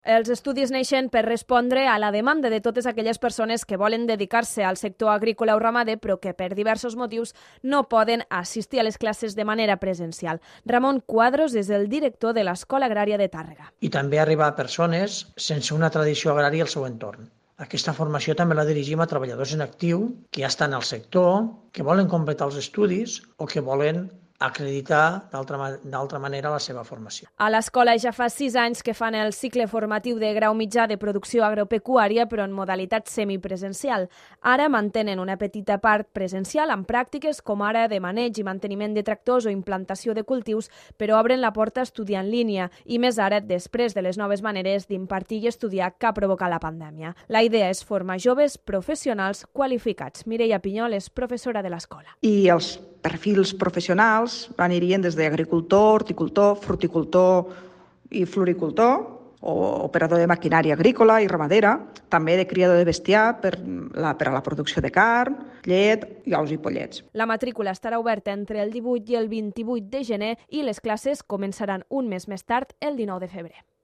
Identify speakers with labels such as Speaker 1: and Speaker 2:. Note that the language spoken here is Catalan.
Speaker 1: Els estudis neixen per respondre a la demanda de totes aquelles persones que volen dedicar-se al sector agrícola o ramader però que per diversos motius no poden assistir a les classes de manera presencial. Ramon Cuadros és el director de l'Escola Agrària de Tàrrega.
Speaker 2: I també arribar a persones sense una tradició agrària al seu entorn. Aquesta formació també la dirigim a treballadors en actiu que ja estan al sector, que volen completar els estudis o que volen acreditar d'altra manera la seva formació.
Speaker 1: A l'escola ja fa 6 anys que fan el cicle formatiu de grau mitjà de producció agropecuària, però en modalitat semipresencial. Ara mantenen una petita part presencial amb pràctiques com ara de maneig i manteniment de tractors o implantació de cultius, però obren la porta a estudiar en línia, i més ara després de les noves maneres d'impartir i estudiar que ha provocat la pandèmia. La idea és formar joves professionals qualificats. Mireia Pinyol és professora de l'escola.
Speaker 3: I els perfils professionals anirien des d'agricultor, horticultor, fruticultor i floricultor, o operador de maquinària agrícola i ramadera, també de criador de bestiar per a la producció de carn, llet, ous i pollets.
Speaker 1: La matrícula estarà oberta entre el 18 i el 28 de gener i les classes començaran un mes més tard, el 19 de febrer.